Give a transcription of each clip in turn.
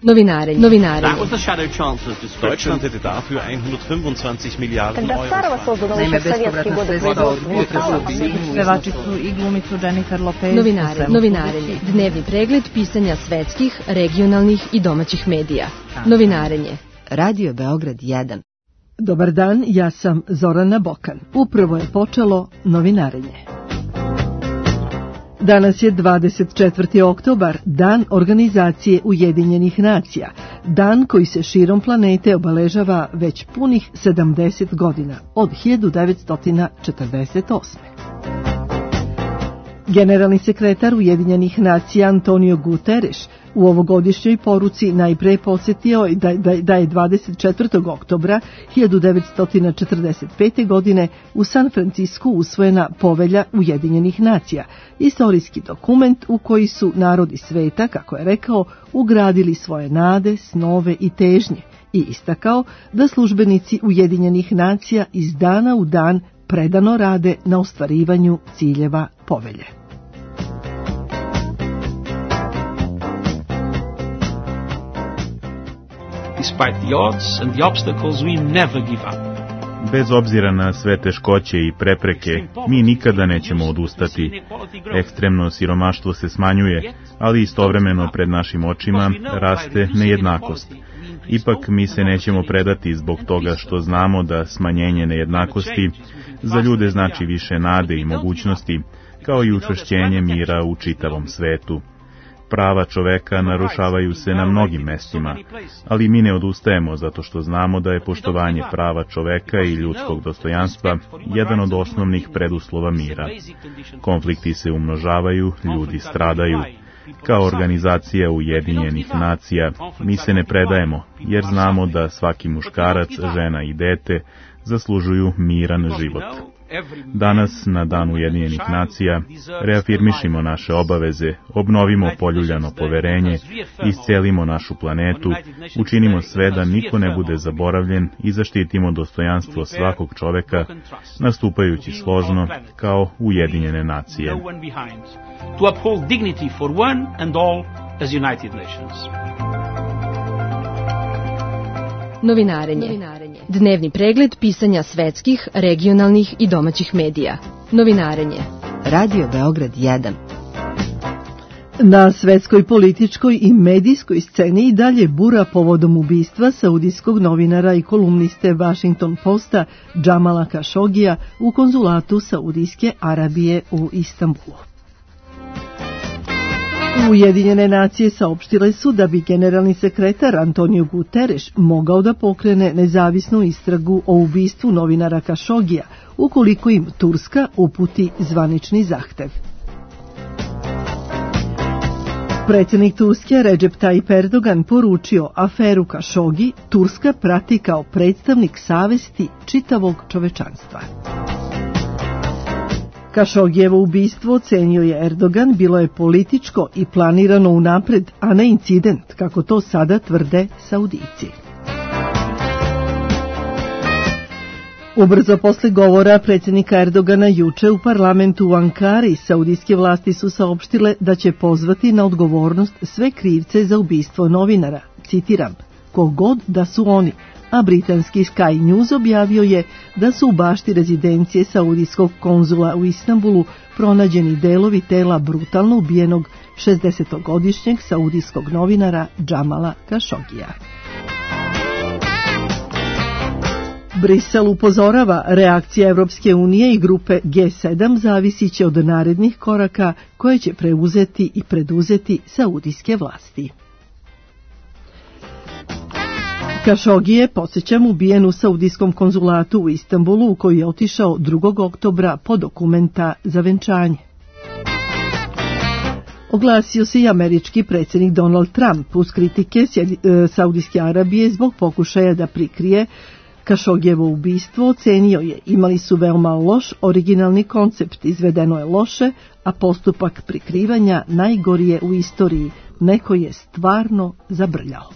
Novinare. That was the Shadow Chancellor's description. Deutschland hätte dafür 125 Milijarden Euro. Naime, bespovratna sredstva od pevačicu i glumicu Jennifer Lopez. Novinarenje. Dnevni pregled pisanja svetskih, regionalnih i domaćih medija. Novinarenje. Radio Beograd 1. Dobar dan, ja sam Zorana Bokan. Upravo je počelo novinarenje. Danas je 24. oktobar, dan Organizacije Ujedinjenih nacija, dan koji se širom planete obeležava već punih 70 godina, od 1948. Generalni sekretar Ujedinjenih nacija Antonio Guterres u ovogodišnjoj poruci najpre podsjetio da je 24. oktobra 1945. godine u San Francisku usvojena Povelja Ujedinjenih nacija, istorijski dokument u koji su narodi sveta, kako je rekao, ugradili svoje nade, snove i težnje i istakao da službenici Ujedinjenih nacija iz dana u dan predano rade na ostvarivanju ciljeva povelje. Despite the odds and the obstacles, we never give up. Bez obzira na sve teškoće i prepreke, mi nikada nećemo odustati. Ekstremno siromaštvo se smanjuje, ali istovremeno pred našim očima raste nejednakost. Ipak mi se nećemo predati zbog toga što znamo da smanjenje nejednakosti za ljude znači više nade i mogućnosti, kao i učvršćenje mira u čitavom svetu. Prava čoveka narušavaju se na mnogim mestima, ali mi ne odustajemo zato što znamo da je poštovanje prava čoveka i ljudskog dostojanstva jedan od osnovnih preduslova mira. Konflikti se umnožavaju, ljudi stradaju. Kao organizacija Ujedinjenih nacija mi se ne predajemo, jer znamo da svaki muškarac, žena i dete zaslužuju miran život. Danas, na Dan Ujedinjenih nacija, reafirmišimo naše obaveze, obnovimo poljuljano poverenje, iscelimo našu planetu, učinimo sve da niko ne bude zaboravljen i zaštitimo dostojanstvo svakog čoveka, nastupajući složno kao Ujedinjene nacije. To uphold dignity for one and all as United Nations. Novinarenje. Dnevni pregled pisanja svetskih, regionalnih i domaćih medija. Novinarenje. Radio Beograd 1. Na svetskoj političkoj i medijskoj sceni i dalje bura povodom ubistva saudijskog novinara i kolumniste Washington Posta Jamala Khashogija u konzulatu Saudijske Arabije u Istanbulu. Ujedinjene nacije saopštile su da bi generalni sekretar Antonio Guterres mogao da pokrene nezavisnu istragu o ubistvu novinara Khashogija ukoliko im Turska uputi zvanični zahtev. Predsjednik Turske Recep Tayyip Erdogan poručio aferu Khashoggi Turska prati kao predstavnik savesti čitavog čovečanstva. Khashoggijevo ubistvo, ocenio je Erdogan, bilo je političko i planirano unapred, a ne incident, kako to sada tvrde Saudijci. Ubrzo posle govora predsjednika Erdogana juče u parlamentu u Ankari, saudijske vlasti su saopštile da će pozvati na odgovornost sve krivce za ubistvo novinara, citiram, kogod da su oni, a britanski Sky News objavio je da su u bašti rezidencije saudijskog konzula u Istanbulu pronađeni delovi tela brutalno ubijenog 60-godišnjeg saudijskog novinara Jamala Khashoggija. Brisel upozorava, reakcija Evropske unije i grupe G7 zavisiće od narednih koraka koje će preuzeti i preduzeti saudijske vlasti. Khashoggi je, podsjećam, ubijen u saudijskom konzulatu u Istanbulu u koji je otišao 2. oktobra po dokumenta za venčanje. Oglasio se i američki predsjednik Donald Trump uz kritike Saudijske Arabije zbog pokušaja da prikrije Khashoggijevo ubistvo. Ocenio je, imali su veoma loš originalni koncept, izvedeno je loše, a postupak prikrivanja najgori je u istoriji. Neko je stvarno zabrljao.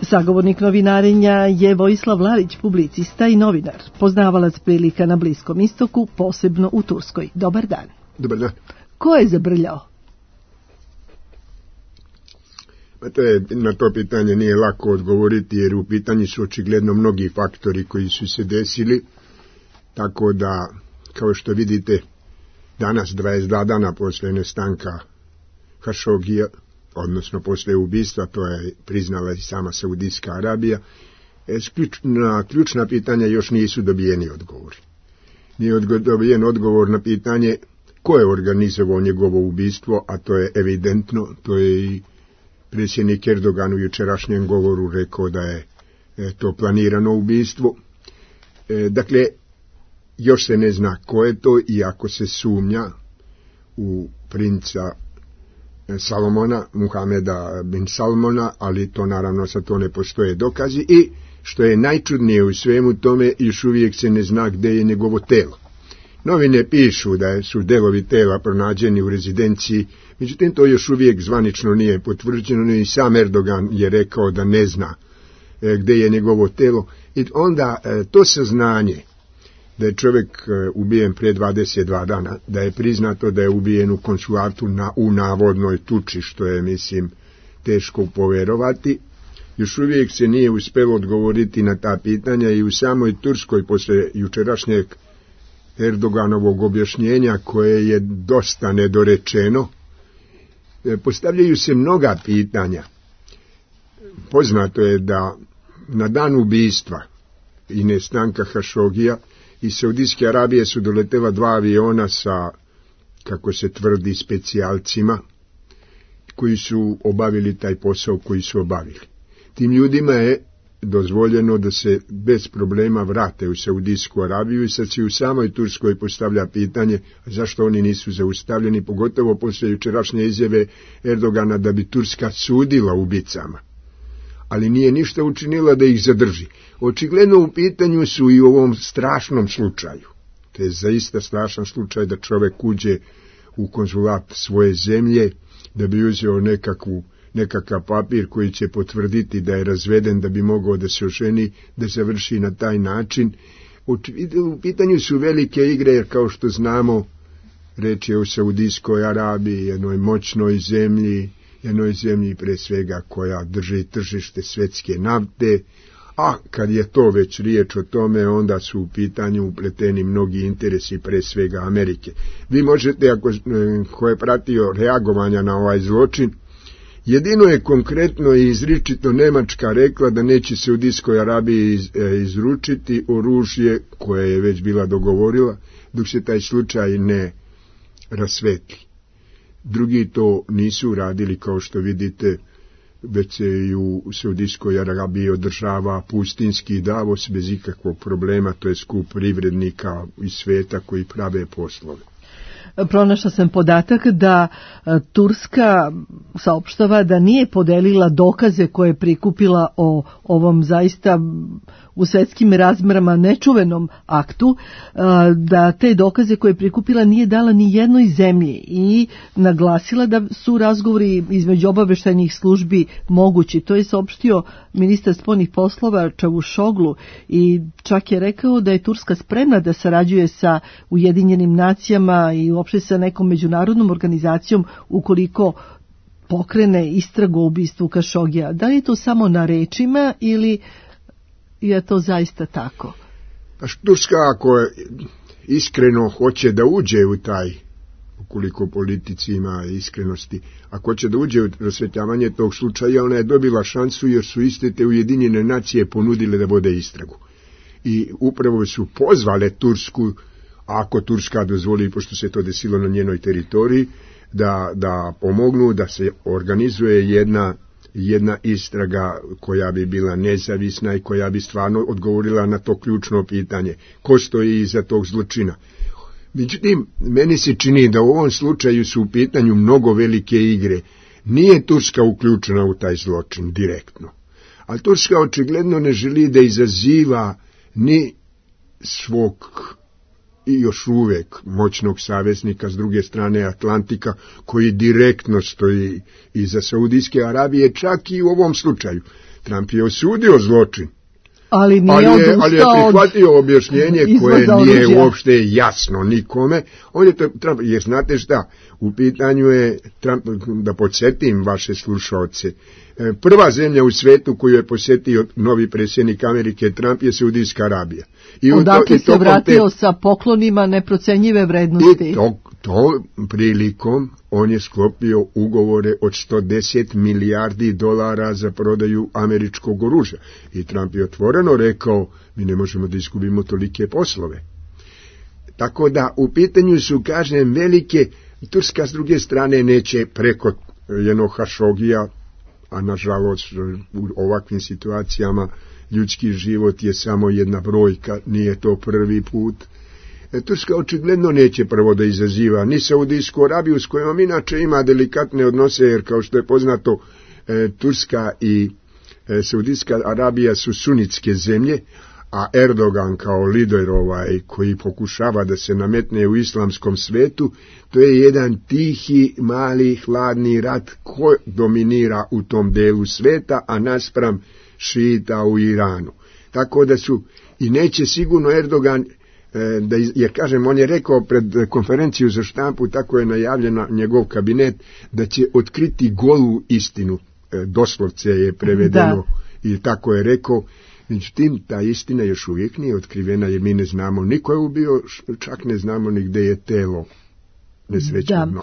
Sagovornik novinarenja je Vojislav Lalić, publicista i novinar, poznavalac prilika na Bliskom istoku, posebno u Turskoj. Dobar dan. Dobar dan. Ko je zabrljao? Na to pitanje nije lako odgovoriti, jer u pitanju su očigledno mnogi faktori koji su se desili, tako da, kao što vidite, danas 22 dana posle nestanka Hašogija, odnosno posle ubistva, to je priznala i sama Saudijska Arabija, na ključna pitanja još nisu dobijeni odgovori. Nije dobijen odgovor na pitanje ko je organizovao njegovo ubistvo, a to je evidentno, to je i predsjednik Erdogan u jučerašnjem govoru rekao da je to planirano ubistvo. Dakle, još se ne zna ko je to, iako se sumnja u princa Salomona, Muhameda bin Salmona, ali to naravno sa to ne postoje dokazi, i što je najčudnije u svemu tome, još uvijek se ne zna gdje je njegovo telo. Novine pišu da su delovi tela pronađeni u rezidenciji, međutim to još uvijek zvanično nije potvrđeno, i sam Erdogan je rekao da ne zna gdje je njegovo telo. I onda to saznanje da je čovjek ubijen prije 22 dana, da je priznato da je ubijen u konsulatu u navodnoj tuči, što je, mislim, teško poverovati, još uvijek se nije uspjelo odgovoriti na ta pitanja, i u samoj Turskoj posle jučerašnjeg Erdoganovog objašnjenja, koje je dosta nedorečeno, postavljaju se mnoga pitanja. Poznato je da na dan ubistva i nestanka Hašogija iz Saudijske Arabije su doletela 2 aviona sa, kako se tvrdi, specijalcima koji su obavili taj posao koji su obavili. Tim ljudima je dozvoljeno da se bez problema vrate u Saudijsku Arabiju, i sad se u samoj Turskoj postavlja pitanje zašto oni nisu zaustavljeni, pogotovo poslije jučerašnje izjave Erdogana da bi Turska sudila ubicama, ali nije ništa učinila da ih zadrži. Očigledno u pitanju su i u ovom strašnom slučaju. To je zaista strašan slučaj da čovjek uđe u konzulat svoje zemlje da bi uzeo nekakav papir koji će potvrditi da je razveden, da bi mogao da se oženi, da završi na taj način. U pitanju su velike igre, jer kao što znamo, reč je o Saudijskoj Arabiji, jednoj moćnoj zemlji, jednoj zemlji pre svega koja drži tržište svjetske nafte, a kad je to već riječ o tome, onda su u pitanju upleteni mnogi interesi, pre svega Amerike. Vi možete, ko je pratio reagovanja na ovaj zločin, jedino je konkretno i izričito Nemačka rekla da neće Saudijskoj Arabiji izručiti oružje koje je već bila dogovorila, dok se taj slučaj ne rasvetli. Drugi to nisu uradili, kao što vidite, već se i u Saudijskoj Arabiji održava pustinski Davos bez ikakvog problema, to je skup privrednika iz svijeta koji prave poslove. Pronašla sam podatak da Turska saopštava da nije podelila dokaze koje je prikupila o ovom zaista u svetskim razmerama nečuvenom aktu, da te dokaze koje je prikupila nije dala ni jednoj zemlji, i naglasila da su razgovori između obaveštajnih službi mogući. To je saopštio ministar spoljnih poslova Čavuşoglu, i čak je rekao da je Turska spremna da sarađuje sa Ujedinjenim nacijama i uopšte sa nekom međunarodnom organizacijom ukoliko pokrene istragu o ubistvu Kašogija. Da li je to samo na rečima ili je to zaista tako? Turska, ako iskreno hoće da uđe u taj, ukoliko politici ima iskrenosti, ako hoće da uđe u rasvetljavanje tog slučaja, ona je dobila šansu, jer su iste te Ujedinjene nacije ponudile da vode istragu. I upravo su pozvale Tursku, ako Turska dozvoli, pošto se to desilo na njenoj teritoriji, da pomognu da se organizuje jedna istraga koja bi bila nezavisna i koja bi stvarno odgovorila na to ključno pitanje. Ko stoji iza tog zločina? Međutim, meni se čini da u ovom slučaju su u pitanju mnogo velike igre. Nije Turska uključena u taj zločin direktno, ali Turska očigledno ne želi da izaziva ni svog i još uvijek moćnog saveznika s druge strane Atlantika, koji direktno stoji iza Saudijske Arabije, čak i u ovom slučaju. Trump je osudio zločin, Ali je prihvatio objašnjenje koje nije uopšte jasno nikome. On je Trump, jer znate šta, u pitanju je Trump, da podsjetim vaše slušaoce, prva zemlja u svetu koju je posjetio novi predsjednik Amerike Trump je Saudijska Arabija. Odakle se vratio sa poklonima neprocenjive vrednosti. I to prilikom on je sklopio ugovore od $110 milijardi za prodaju američkog oružja. I Trump je otvoreno rekao, mi ne možemo da izgubimo tolike poslove. Tako da u pitanju su, kažem, velike, Turska s druge strane neće preko jednog Hašogija, a nažalost u ovakvim situacijama ljudski život je samo jedna brojka, nije to prvi put. Turska očigledno neće prvo da izaziva ni Saudijsku Arabiju, s kojom inače ima delikatne odnose, jer kao što je poznato, Turska i Saudijska Arabija su sunitske zemlje, a Erdogan kao lider koji pokušava da se nametne u islamskom svetu, to je jedan tihi, mali, hladni rat ko dominira u tom delu sveta, a naspram šita u Iranu. Tako da su, i neće sigurno Erdogan, jer kažem, on je rekao pred konferenciju za štampu, tako je najavljena njegov kabinet, da će otkriti golu istinu, doslovce je prevedeno i tako je rekao. Međutim, ta istina još uvijek nije otkrivena, jer mi ne znamo, niko je ubio, čak ne znamo ni gde je telo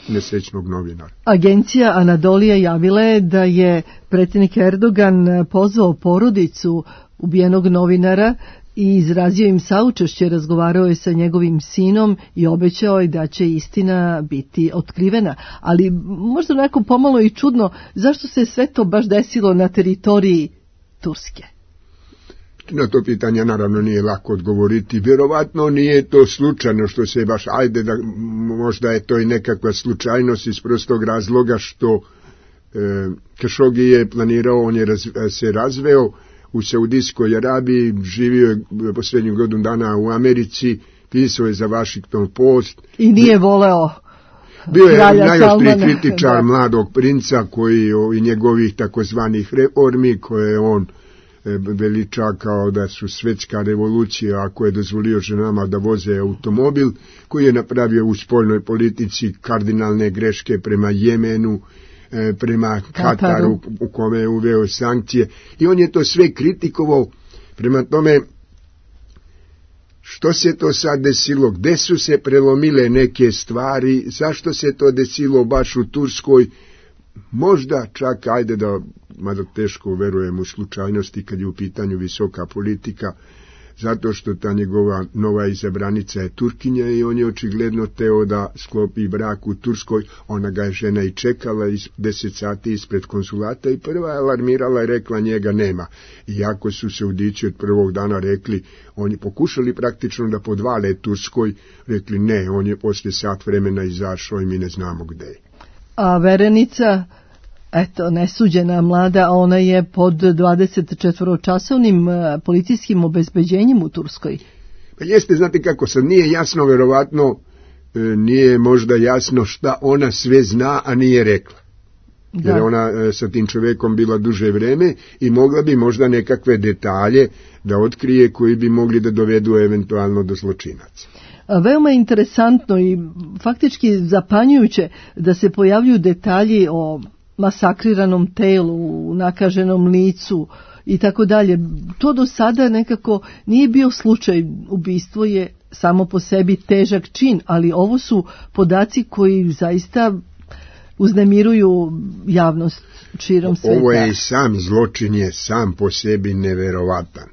nesrećnog novinara. Agencija Anadolija javila je da je predsjednik Erdogan pozvao porodicu ubijenog novinara i izrazio im saučešće, razgovarao je sa njegovim sinom i obećao je da će istina biti otkrivena. Ali možda onako pomalo i čudno, zašto se sve to baš desilo na teritoriji Turske? Na to pitanje naravno nije lako odgovoriti. Vjerovatno nije to slučajno što se baš, možda je to i nekakva slučajnost iz prostog razloga što Khashoggi je planirao, on je se razveo u Saudijskoj Arabiji, živio je posljednjih godinu dana u Americi, pisao je za Washington Post. I nije voleo bio je najoštriji kritičar mladog princa i njegovih takozvanih reformi koje on veliča kao da su svetska revolucija, ako je dozvolio ženama da voze automobil, koji je napravio u spoljnoj politici kardinalne greške prema Jemenu, prema Kataru u kome je uveo sankcije, i on je to sve kritikovao. Prema tome, što se to sad desilo, gde su se prelomile neke stvari, zašto se to desilo baš u Turskoj, možda čak, mada teško verujem u slučajnosti kad je u pitanju visoka politika, zato što ta njegova nova izabranica je Turkinja i on je očigledno teo da sklopi brak u Turskoj. Ona ga je žena i čekala 10 sati ispred konsulata i prva je alarmirala i rekla njega nema. Iako su Saudići od prvog dana rekli, oni pokušali praktično da podvale Turskoj, rekli ne, on je poslije sat vremena izašao i mi ne znamo gde je. A verenica, nesuđena mlada, ona je pod 24-časovnim policijskim obezbeđenjem u Turskoj. Pa jeste, znate kako, sad nije jasno, verovatno nije možda jasno šta ona sve zna, a nije rekla. Jer je ona sa tim čovekom bila duže vreme i mogla bi možda nekakve detalje da otkrije koji bi mogli da dovedu eventualno do zločinaca. Veoma interesantno i faktički zapanjujuće da se pojavljuju detalji o masakriranom telu, nakaženom licu i tako dalje. To do sada nekako nije bio slučaj. Ubistvo je samo po sebi težak čin, ali ovo su podaci koji zaista uznemiruju javnost širom sveta. Ovo je sam zločin, je sam po sebi neverovatan.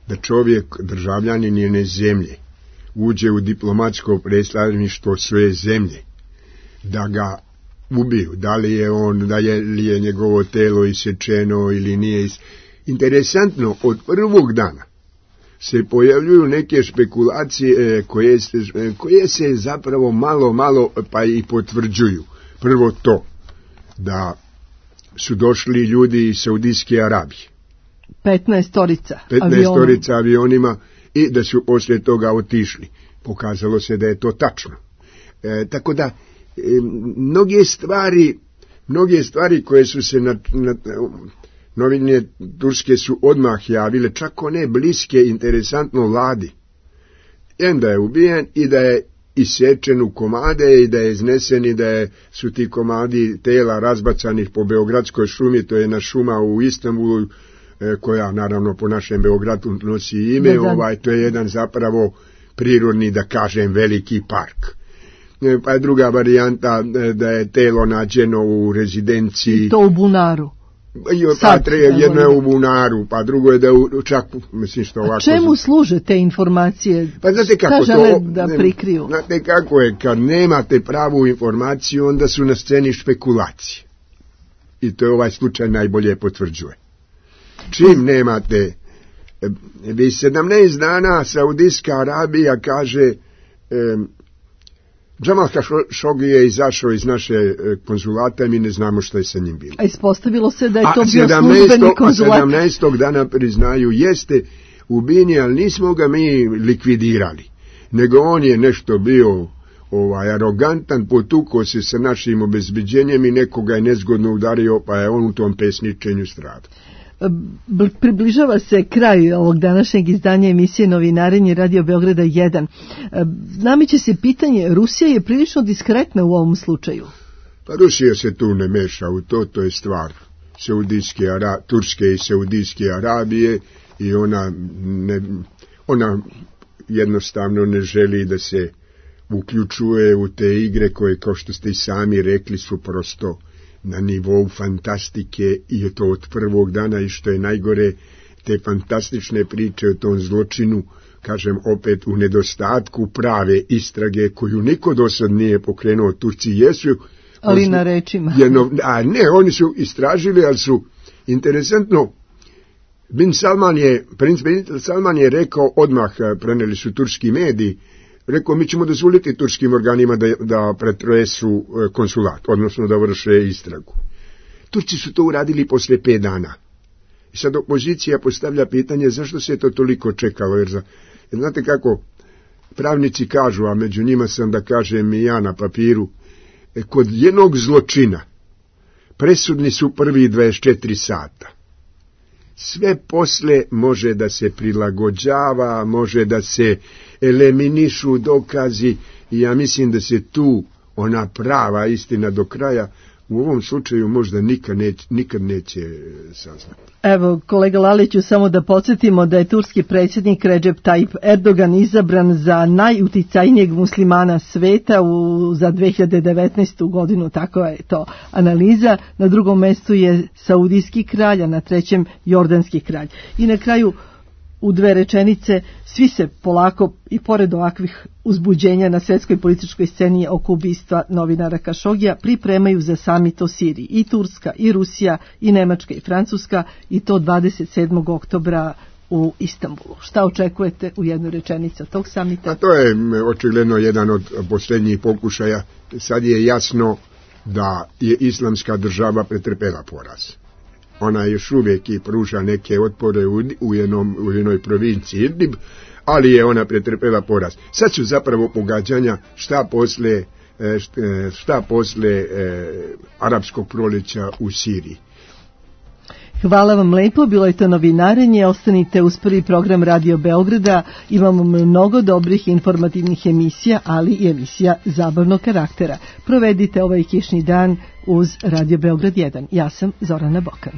Da čovjek, državljanin jedne zemlje, uđe u diplomatsko predstavništvo svoje zemlje, da ga ubiju, da li je njegovo telo isečeno ili nije. Interesantno, od prvog dana se pojavljuju neke špekulacije koje se zapravo malo pa i potvrđuju. Prvo to, da su došli ljudi iz Saudijske Arabije. 15 avionima i da su poslije toga otišli. Pokazalo se da je to tačno. Tako da, mnoge stvari koje su se novine turske su odmah javile, čak one bliske, interesantno vladi. Da je ubijen i da je isječen u komade i da je iznesen i da su ti komadi tela razbacanih po Beogradskoj šumi, to je jedna šuma u Istanbulu, koja naravno po našem Beogradu nosi ime, to je jedan zapravo prirodni, da kažem, veliki park. Pa je druga varijanta da je telo nađeno u rezidenciji. I to u bunaru. Jedno je u bunaru, pa drugo je da je čak, mislim što ovako... A čemu služe te informacije? Pa znate kako žele da prikriju? Znate kako je, kad nemate pravu informaciju, onda su na sceni špekulacije. I to je ovaj slučaj najbolje potvrđuje. Čim nemate, 17 dana Saudijska Arabija kaže, Džamal Hašogi je izašao iz naše konzulata i mi ne znamo što je sa njim bilo. A ispostavilo se da je to bio službeni konzulat. 17. dana priznaju, jeste ubijen, ali nismo ga mi likvidirali, nego on je nešto bio arogantan, potukao se sa našim obezbeđenjem i nekoga je nezgodno udario, pa je on u tom pesničenju stradao. Približava se kraj ovog današnjeg izdanja emisije Novinarenje Radio Beograda 1. Nameće se pitanje, Rusija je prilično diskretna u ovom slučaju. Pa Rusija se tu ne meša u to je stvar Turske i Saudijske Arabije i ona jednostavno ne želi da se uključuje u te igre koje, kao što ste i sami rekli, su prosto na nivou fantastike i je to od prvog dana i što je najgore, te fantastične priče o tom zločinu, kažem opet u nedostatku prave istrage koju niko do sad nije pokrenuo. Turci jesu, ali na rečima. Oni su istražili, ali su interesantno, princ bin Salman je rekao odmah, preneli su turski mediji, rekao, mi ćemo dozvoliti turskim organima da pretresu konsulat, odnosno da vrše istragu. Turci su to uradili posle 5 dana. I sad opozicija postavlja pitanje zašto se to toliko čekalo, jer znate kako pravnici kažu, a među njima sam, da kažem i ja na papiru, kod jednog zločina presudni su prvi 24 sata. Sve posle može da se prilagođava, može da se eliminišu dokazi i ja mislim da se tu ona prava istina do kraja u ovom slučaju možda nikad neće saznati. Evo, kolega Laliću, samo da podsjetimo da je turski predsjednik Recep Tayyip Erdogan izabran za najuticajnijeg muslimana sveta za 2019. godinu, tako je to analiza. Na drugom mestu je saudijski kralj, a na trećem jordanski kralj. I na kraju, u 2 rečenice, svi se polako, i pored ovakvih uzbuđenja na svjetskoj političkoj sceni oko ubistva novinara Kašogija, pripremaju za samit o Siriji. I Turska, i Rusija, i Nemačka, i Francuska, i to 27. oktobra u Istanbulu. Šta očekujete u jednoj rečenici od tog samita? A to je očigledno jedan od posljednjih pokušaja. Sad je jasno da je Islamska država pretrpela poraz. Ona još uvijek i pruža neke otpore u jednoj provinciji Idlib, ali je ona pretrpela poraz. Sad su zapravo pogađanja šta posle arapskog proljeća u Siriji. Hvala vam lepo, bilo je to Novinarenje, ostanite uz prvi program Radio Beograda, imamo mnogo dobrih informativnih emisija, ali i emisija zabavnog karaktera. Provedite ovaj kišni dan uz Radio Beograd 1. Ja sam Zorana Bokan.